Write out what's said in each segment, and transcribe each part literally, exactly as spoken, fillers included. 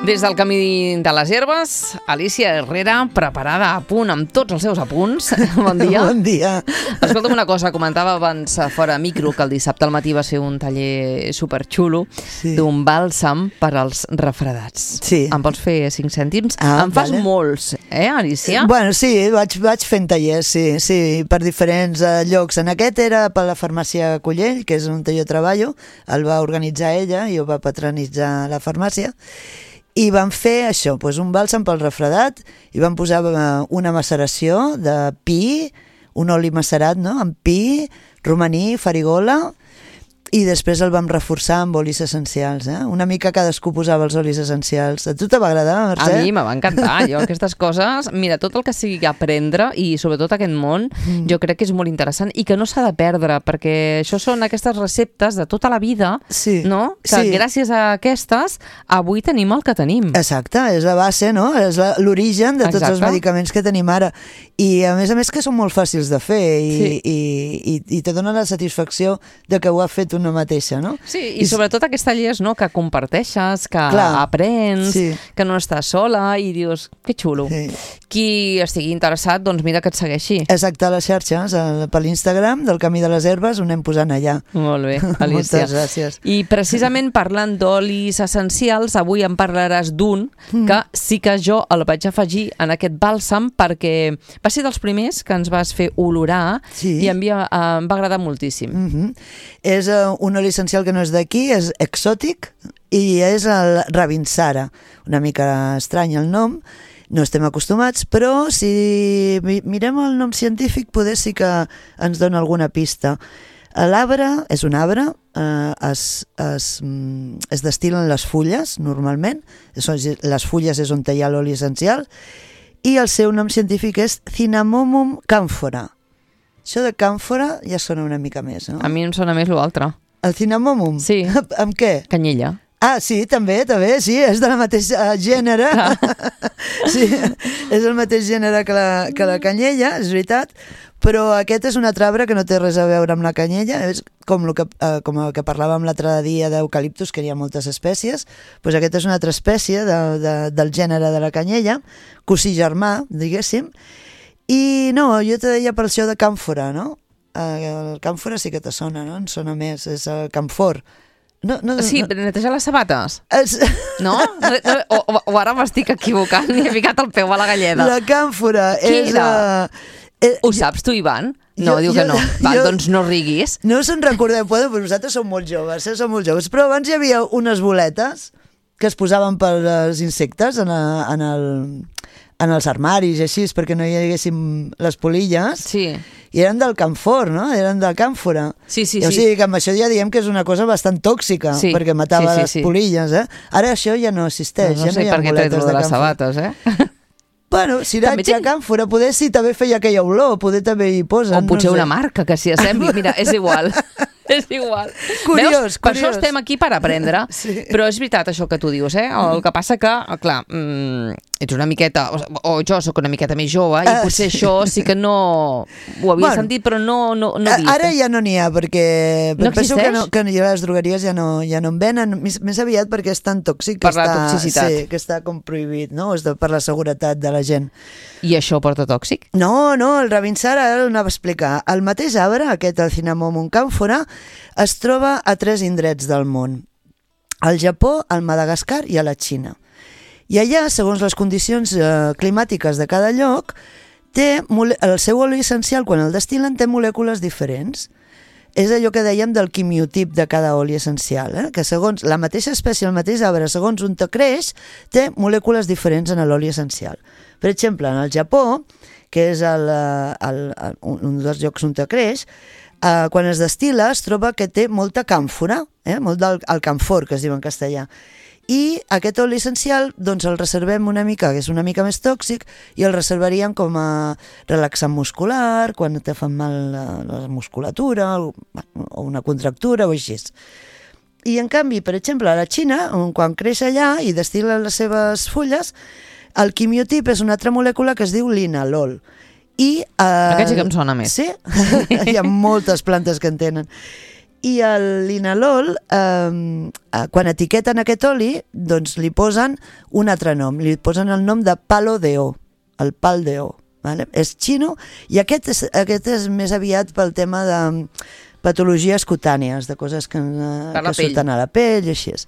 Des del camí de les herbes, Alícia Herrera, preparada a punt amb tots els seus apunts. Bon dia. Bon dia. Escolta'm una cosa, comentava abans fora micro que el dissabte al matí va ser un taller superxulo sí. d'un bàlsam per als refredats. Sí. Em pots fer cinc cèntims? Ah, en fas vale. molts, eh, Alícia? Bueno, sí, vaig, vaig fent tallers, sí, sí, per diferents uh, llocs. En aquest era per la farmàcia Collell, que és on jo treballo, el va organitzar ella i ho va patronitzar la farmàcia. I van fer això, doncs un bàlsam pel refredat, i van posar una maceració de pi, un oli macerat, no?, amb pi, romaní, farigola, i després el vam reforçar amb olis essencials, eh? Una mica cadascú posava els olis essencials. A tu te va agradar, Mercè? A mi me va encantar. Jo aquestes coses, mira, tot el que sigui aprendre i sobretot aquest món, mm. jo crec que és molt interessant i que no s'ha de perdre, perquè això són aquestes receptes de tota la vida, sí. no? Que sí. gràcies a aquestes avui tenim el que tenim. Exacte, és la base, no? És l'origen de tots Exacte. Els medicaments que tenim ara. I a més a més que són molt fàcils de fer i, sí. i, i, i te dona la satisfacció de que ho ha fet una mateixa, no? Sí, i, I sobretot aquests tallers, no?, que comparteixes, que Clar, aprens, sí. que no estàs sola i dius, que xulo. Sí. Qui estigui interessat, doncs mira que et segueixi. Exacte, a les xarxes, per l'Instagram del Camí de les Herbes, ho anem posant allà. Molt bé, Alícia. Moltes gràcies. I precisament parlant d'olis essencials, avui em parlaràs d'un mm. que sí que jo el vaig afegir en aquest bàlsam perquè va ser dels primers que ens vas fer olorar sí. i em va, em va agradar moltíssim. Mm-hmm. És uh, un oli essencial que no és d'aquí, és exòtic i és el Ravinsara. Una mica estrany el nom, no estem acostumats, però si mirem el nom científic poder sí que ens dona alguna pista. L'arbre és un arbre, eh, es, es, es destil·len les fulles normalment, les fulles és on hi ha l'oli essencial, i el seu nom científic és Cinnamomum camphora. Això de càmfora ja sona una mica més, no? A mi em sona més l'altre. El cinnamomum? Sí. Amb què? Canyella. Ah, sí, també, també, sí, és de la mateixa gènere. Sí, és el mateix gènere que la, que la canyella, és veritat, però aquest és un altre arbre que no té res a veure amb la canyella, és com el que, eh, com el que parlàvem l'altre dia d'eucaliptus, que hi ha moltes espècies, doncs aquest és una altra espècie de, de, del gènere de la canyella, cosí germà, diguéssim. I no, jo te deia per això de càmfora, no? El càmfora sí que te sona, no? En sona més, és el camfor. No, no, sí, no. netejar les sabates. Es... No? O, o, o ara m'estic equivocant i he ficat el peu a la galleda. La càmfora Què és... era? Uh... Ho saps tu, Ivan? No, jo, diu jo, que no. Va, jo, doncs no riguis. No se'n recordeu, però vosaltres sou molt joves, eh? Sou molt joves. Però abans hi havia unes boletes que es posaven per als insectes en, a, en, el, en els armaris i així, perquè no hi haguessin les polilles. Sí. I eren del camfor, no? Eren de càmfora. Sí, sí, I, o sigui que amb això ja diem que és una cosa bastant tòxica, sí. perquè matava sí, sí, les sí. polilles, eh? Ara això ja no existeix. No, no ja sé no hi ha per què boletes tret-lo de de les sabates, eh? Bueno, ciratge, ten... càmfora, poder sí, també feia aquella olor, poder també hi posen. O potser no sé. una marca que s'hi assembli. Mira, és igual. És igual. Curiós, Veus? Per curiós. això estem aquí per aprendre. Sí. Però és veritat això que tu dius, eh? El que passa que, clar, mmm, ets una miqueta, o, o jo sóc una miqueta més jove i potser uh, sí. això sí que no ho havia bueno, sentit, però no, no, no vist. Ara ja no n'hi ha, perquè no penso que, no, que les drogueries ja no, ja no en venen, més, més aviat perquè és tan tòxic que, per la està, toxicitat. Sí, que està com prohibit, no? És de, per la seguretat de la gent. I això porta tòxic? No, no, el Ravinsara ara ho anava a explicar. El mateix arbre, aquest, el Cinnamomum camphora, es troba a tres indrets del món. Al Japó, al Madagascar i a la Xina. I allà, segons les condicions eh, climàtiques de cada lloc, té el seu oli essencial, quan el destil·len, té molècules diferents. És allò que dèiem del quimiotip de cada oli essencial, eh? Que segons la mateixa espècie, el mateix arbre, segons on te creix, té molècules diferents en l'oli essencial. Per exemple, en el Japó, que és el, el, el, un dels llocs on te creix, eh, quan es destil·la es troba que té molta càmfora, eh? Molt del el camfor, que es diu en castellà. I aquest oli essencial doncs el reservem una mica, que és una mica més tòxic, i el reservaríem com a relaxant muscular, quan te fan mal la, la musculatura o una contractura o així. I en canvi, per exemple, a la Xina, quan creix allà i destil·la les seves fulles, el quimiotip és una altra molècula que es diu linalol. I, eh, Aquest sí que em sona més. Sí? Hi ha moltes plantes que en tenen. I el linalol, eh, quan etiqueten aquest oli, doncs li posen un altre nom, li posen el nom de palo de o, el pal de o. Vale? És xino i aquest és, aquest és més aviat pel tema de patologies cutànies, de coses que, que surten a la pell i així és.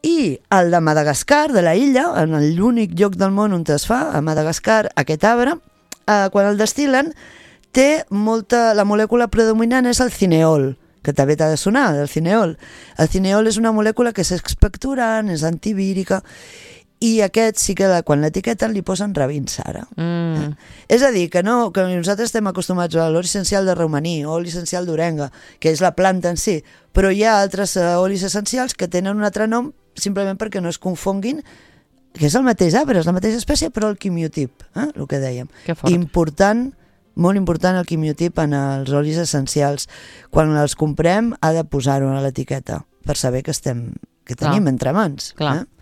I el de Madagascar, de la illa, en l'únic lloc del món on es fa, a Madagascar, aquest arbre, eh, quan el destil·len, té molta... La molècula predominant és el cineol, que també t'ha de sonar, el cineol. El cineol és una molècula que és expectorant, és antivírica, i aquest sí que quan l'etiqueten li posen Ravinsara. Mm. Eh? És a dir, que, no, que nosaltres estem acostumats a l'oli essencial de romaní o oli essencial d'orenga, que és la planta en si, però hi ha altres uh, olis essencials que tenen un altre nom simplement perquè no es confonguin, que és el mateix arbre, és la mateixa espècie, però el quimiotip, eh? El que dèiem. Que fort. Important, molt important el quimiotip en els olis essencials. Quan els comprem ha de posar-ho a l'etiqueta per saber que, estem, que tenim Clar. entre mans. Clar. Eh?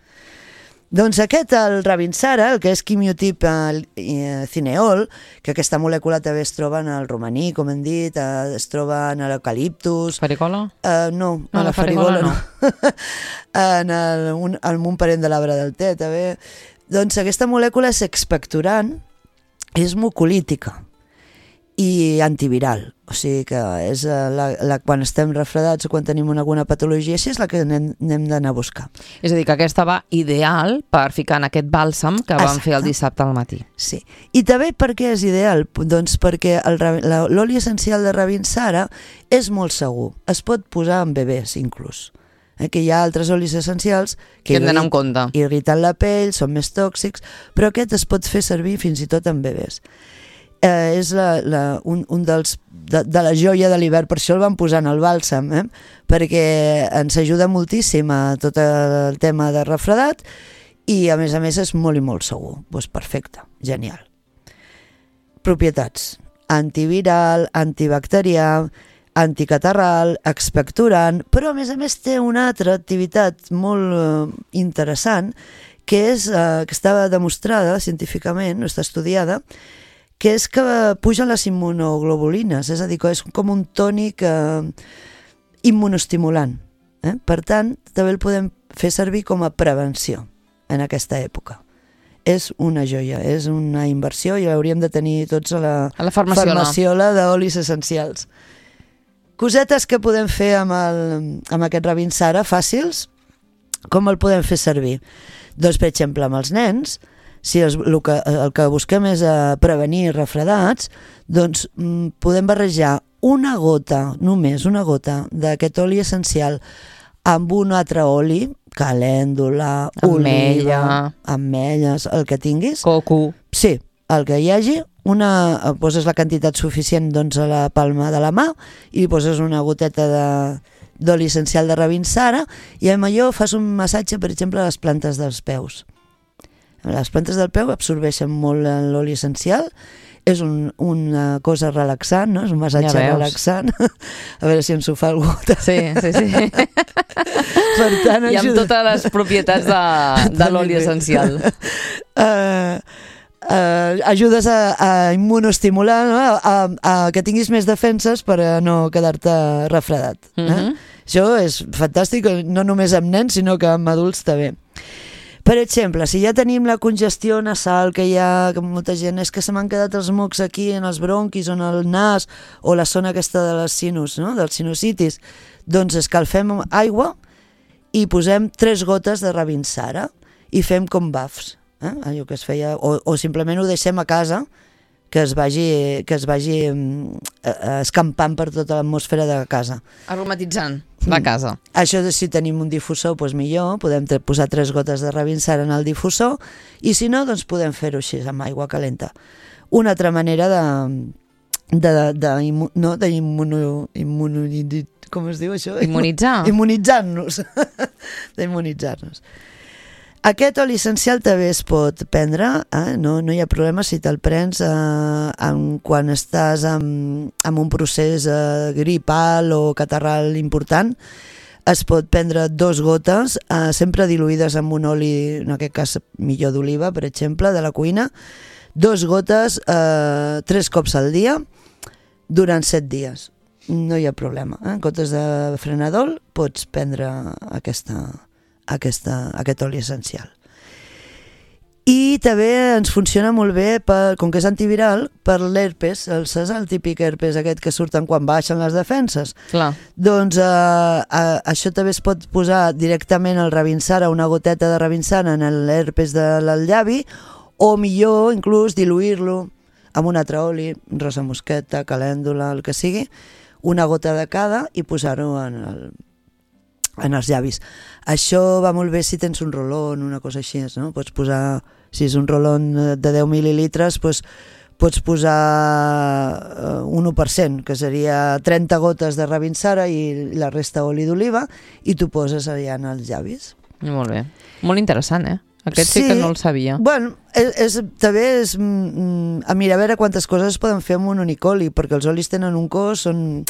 Doncs aquest, el Ravinsara, el que és quimiotip eh, cineol, que aquesta molècula també es troba en el romaní, com hem dit, eh, es troba en l'eucaliptus... Farigola? Uh, no, no, la, la farigola, farigola no. no. en, el, un, en un parent de l'arbre del te, també. Doncs aquesta molècula és expectorant, és mucolítica i antiviral. O sigui que és la, la, quan estem refredats o quan tenim alguna patologia així és la que anem, anem d'anar a buscar. És a dir, que aquesta va ideal per ficar en aquest bàlsam que vam Exacte. fer el dissabte al matí. Sí. I també per què és ideal? Doncs perquè l'oli essencial de Ravinsara és molt segur. Es pot posar en bebès inclús. Eh, que hi ha altres olis essencials que, que hem d'anar en compte. Irriten la pell, són més tòxics, però aquest es pot fer servir fins i tot en bebès. Eh, és la, la, un, un dels de, de la joia de l'hivern, per això el vam posar en el bàlsam, eh? Perquè ens ajuda moltíssim a tot el tema de refredat i a més a més és molt i molt segur. Doncs perfecte, genial. Propietats: antiviral, antibacterià, anticatarral, expectorant, però a més a més té una altra activitat molt eh, interessant que és eh, que estava demostrada científicament, no està estudiada, que és que puja les immunoglobulines, és a dir, que és com un tònic eh, immunoestimulant. Eh? Per tant, també el podem fer servir com a prevenció en aquesta època. És una joia, és una inversió i l'hauríem de tenir tots a la, a la farmaciola, farmaciola d'olis essencials. Cosetes que podem fer amb, el, amb aquest Ravinsara, fàcils, com el podem fer servir? Doncs, per exemple, amb els nens, si el, el, que, el que busquem és a prevenir refredats, doncs mm, podem barrejar una gota, només una gota, d'aquest oli essencial amb un altre oli, calèndula, ametlla, oliva, ametlles, el que tinguis. Coco. Sí, el que hi hagi, una, poses la quantitat suficient doncs, a la palma de la mà i poses una goteta de d'oli essencial de Ravinsara i amb allò fas un massatge, per exemple, a les plantes dels peus. Les plantes del peu absorbeixen molt l'oli essencial, és un, una cosa relaxant, no? És un massatge ja relaxant. A veure si ens ho fa algú. Sí, sí, sí. Per tant, i amb ajuda... totes les propietats de, de l'oli essencial. Uh, uh, ajudes a, a immunoestimular, no? a, a, a que tinguis més defenses per a no quedar-te refredat. Eh? Mm-hmm. Això és fantàstic, no només amb nens, sinó que amb adults també. Per exemple, si ja tenim la congestió nasal, que hi ha que molta gent, és que se m'han quedat els mocs aquí en els bronquis o en el nas o la zona aquesta de les sinus, no? Dels sinusitis, doncs escalfem aigua i posem tres gotes de Ravinsara i fem com bafs, eh? Allò que es feia, o, o simplement ho deixem a casa, que es vagi, que es vagi eh, escampant per tota l'atmosfera de casa. Aromatitzant la casa. Mm. Això, si tenim un difusor, doncs millor, podem posar tres gotes de Ravinsara en el difusor i si no, doncs podem fer-ho així, amb aigua calenta. Una altra manera de... de, de, de no, d'immuno... Immuno, com es diu això? Immunitzar. Immunitzar-nos. D'immunitzar-nos. Aquest oli essencial també es pot prendre, eh? no, no hi ha problema si te'l prens eh, en, quan estàs en, en un procés eh, gripal o catarral important. Es pot prendre dos gotes, eh, sempre diluïdes amb un oli, en aquest cas millor d'oliva, per exemple, de la cuina, dos gotes, eh, tres cops al dia, durant set dies. no hi ha problema. Eh? En comptes de frenadol pots prendre aquesta, aquesta, aquest oli essencial. I també ens funciona molt bé, per, com que és antiviral, per l'herpes, el, saps el típic herpes aquest que surten quan baixen les defenses? Clar. Doncs eh, eh, això també es pot posar directament al Ravinsara, una goteta de Ravinsara en l'herpes del llavi, o millor inclús diluir-lo amb un altre oli, rosa mosqueta, calèndula, el que sigui, una gota de cada i posar-ho en el en els llavis. Això va molt bé si tens un rolón, una cosa així, no? Pots posar, si és un rolón de deu mil·lilitres, doncs pots posar un u per cent, que seria trenta gotes de Ravinsara i la resta oli d'oliva, i t'ho poses allà en els llavis. Molt bé. Molt interessant, eh? Aquest sí, sí que no el sabia. Bueno, és, és, també és mm, a mirar a veure quantes coses es poden fer amb un únic oli, perquè els olis tenen un cost, són...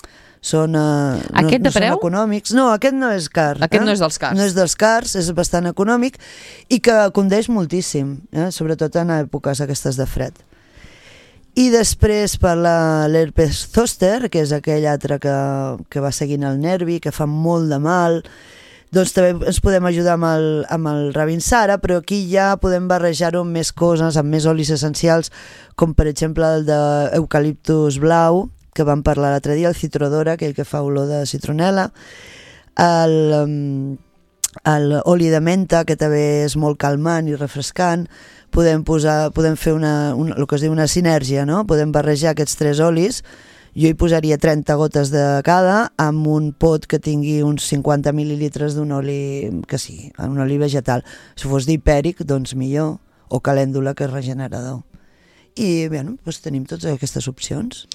Són, uh, aquest no, de preu? No són econòmics. No, aquest no és car. Aquest eh? no és dels cars. No és dels cars, és bastant econòmic i que condeix moltíssim, eh? Sobretot en èpoques aquestes de fred. I després per l'herpes zoster, que és aquell altre que, que va seguint el nervi, que fa molt de mal, doncs també ens podem ajudar amb el, amb el Ravinsara, però aquí ja podem barrejar-ho amb més coses, amb més olis essencials, com per exemple el d'eucaliptus blau, que vam parlar l'altre dia, el citrodora, aquell que fa olor de citronela, l'oli de menta, que també és molt calmant i refrescant. Podem posar, podem fer una, una, el que es diu una sinergia, no? Podem barrejar aquests tres olis. Jo hi posaria trenta gotes de cada amb un pot que tingui uns cinquanta mil·lilitres d'un oli que sigui, un oli vegetal. Si fos d'hipèric, doncs millor, o calèndula, que és regenerador. I bé, doncs tenim totes aquestes opcions.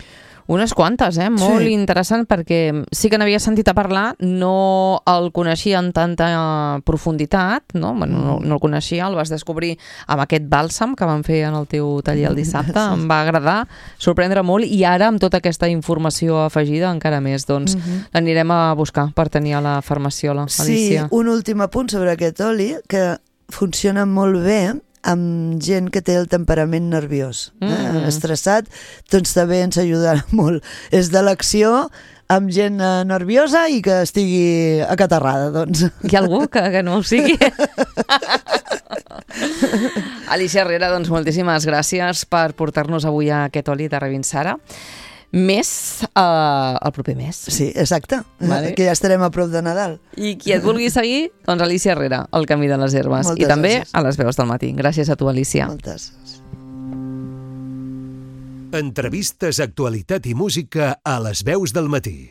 Unes quantes, eh? Molt sí. Interessant, perquè sí que n'havia sentit a parlar, no el coneixia en tanta profunditat, no? Bueno, no, no el coneixia, el vas descobrir amb aquest bàlsam que vam fer en el teu taller el dissabte, sí. Em va agradar, sorprendre molt, i ara amb tota aquesta informació afegida encara més, doncs uh-huh. L'anirem a buscar per tenir a la farmaciola, Alicia. Sí, un últim apunt sobre aquest oli, que funciona molt bé amb gent que té el temperament nerviós, eh? mm. estressat, doncs també ens ajudarà molt. És de l'acció amb gent eh, nerviosa i que estigui acatarrada, doncs. Hi ha algú que, que no ho sigui? Alicia Herrera, doncs moltíssimes gràcies per portar-nos avui a aquest oli de Ravinsara. Més uh, el proper mes. Sí, exacte, vale. Que ja estarem a prop de Nadal. I qui et vulgui seguir, doncs Alicia Herrera, El camí de les herbes. Moltes I també gràcies. A les veus del matí. Gràcies a tu, Alicia. Moltes gràcies. Entrevistes, actualitat i música a les veus del matí.